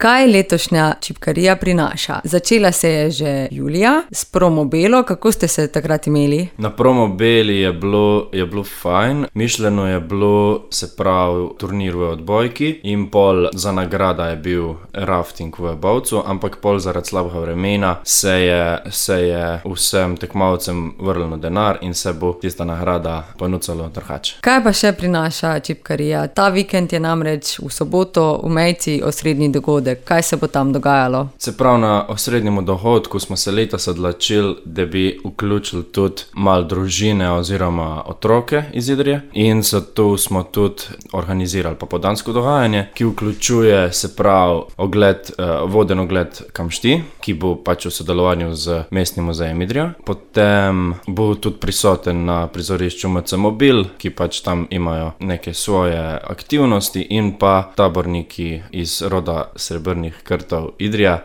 Kaj letošnja čipkarija prinaša? Začela se je že julija s Promobelo. Kako ste se takrat imeli? Na Promobeli je bilo fajn. Mišljeno je bilo, se pravi, turnir v odbojki in pol za nagrada je bil rafting v Bovcu, ampak pol zaradi slabega vremena se je vsem tekmovalcem vrnilo denar in se bo tista nagrada ponucalo drugače. Kaj pa še prinaša čipkarija? Ta vikend je namreč v soboto v Mejci osrednji dogodek. Kaj se bo tam dogajalo? Se pravi, na osrednjem dogodku smo se letos odločili, da bi vključili tudi malo družine oziroma otroke iz Idrije in zato smo tudi organizirali popoldansko dogajanje, ki vključuje, se pravi, voden ogled Kamšti, ki bo pač v sodelovanju z Mestnim muzejem Idrija. Potem bo tudi prisoten na prizorišču MC Mobil, ki pač tam imajo neke svoje aktivnosti, in pa taborniki iz roda Srebrnih krtov Idrija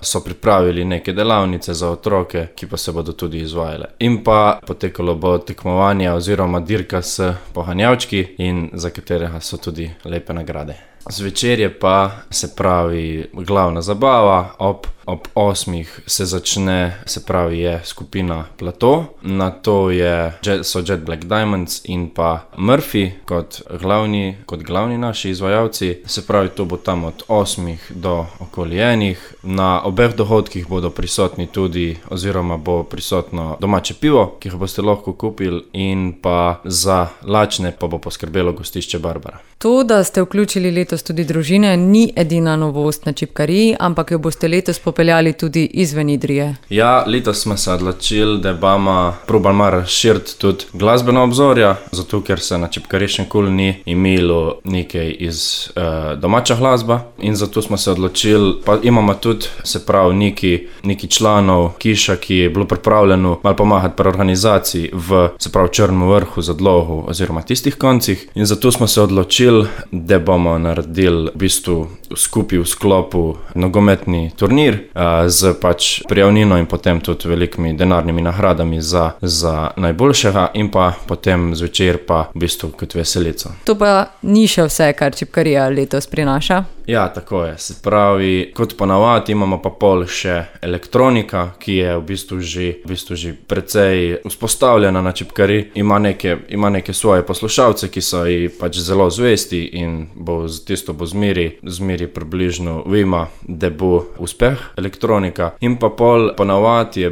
so pripravili neke delavnice za otroke, ki pa se bodo tudi izvajale. In pa potekalo bo tekmovanje oziroma dirka s poganjavčki, in za katerega so tudi lepe nagrade. Zvečer je pa, se pravi, glavna zabava. Ob 8 se začne, se pravi, je skupina Plato, nato so Jet Black Diamonds in pa Murphy kot glavni naši izvajalci. Se pravi, to bo tam od 8 do okoli 1. Na obeh dogodkih bodo prisotni tudi, oziroma bo prisotno domače pivo, ki ga boste lahko kupili, in pa za lačne pa bo poskrbelo gostišče Barbara. To, da ste vključili letos tudi družine, ni edina novost na čipkariji, ampak jo boste letos popeljali tudi izven Idrije. Ja, letos smo se odločili, da bomo probali malo razširiti tudi glasbeno obzorja, zato ker se na čipkariji še nikoli ni imelo nekaj iz domača glasba, in zato smo se odločili, pa imamo tudi, se pravi, neki članov Kiša, ki je bilo pripravljeno malo pomagati pri organizaciji v, se pravi, Črnem Vrhu, Zadlogu oziroma tistih koncih, in zato smo se odločili, da bomo naredili v bistvu skupaj v sklopu nogometni turnir z pač prijavnino in potem tudi velikimi denarnimi nagradami za najboljšega, in pa potem zvečer pa v bistvu kot veselico. To pa ni še vse, kar čipkarija letos prinaša? Ja, tako je. Se pravi, kot ponavadi imamo pa pol še elektronika, ki je v bistvu že precej vzpostavljena na čipkariji. Ima neke svoje poslušalce, ki so ji pač zelo zvesti, in tisto bo zmeri približno vima, da bo uspeh elektronika. In pa pol ponavadi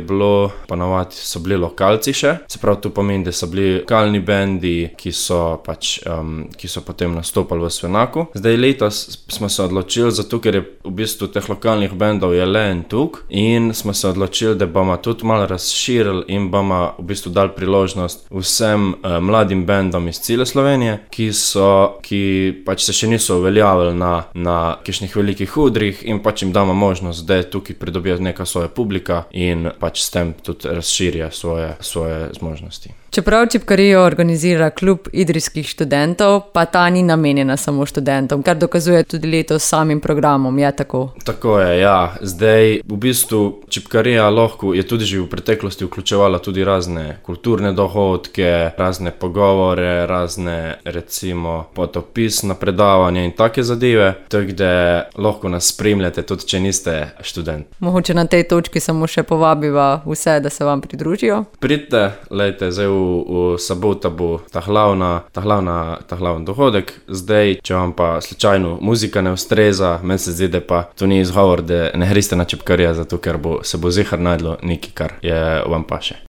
so bili lokalci še. Se pravi, to pomeni, da so bili lokalni bendi, ki so potem nastopali v Svenaku. Zdaj letos smo se odločili, zato ker je v bistvu teh lokalnih bendov je le en tuk, in smo se odločili, da bomo tudi malo razširili in bomo v bistvu dali priložnost vsem mladim bendom iz cele Slovenije, ki pač se še niso uveljavili na kakšnih velikih odrih, in pač jim damo možnost, da tukaj pridobijo neka svoja publika in pač s tem tudi razširijo svoje zmožnosti. Čeprav čipkarijo organizira klub idrijskih študentov, pa ta ni namenjena samo študentom, kar dokazuje tudi letos s samim programom, je tako? Tako je, ja. Zdaj, v bistvu, čipkarija lahko je tudi že v preteklosti vključevala tudi razne kulturne dogodke, razne pogovore, razne, recimo, potopisna predavanja in take zadeve, tako da lahko nas spremljate, tudi če niste študent. Mogoče na tej točki samo še povabiva vse, da se vam pridružijo? Pridite, lejte, zdaj v sobota bo ta glavni dogodek. Zdaj, če vam pa slučajno muzika ne ustreza, meni se zdi, da pa to ni izgovor, da ne greste na čipkarijo, zato ker se bo zihar najdlo nekaj, kar je vam paše.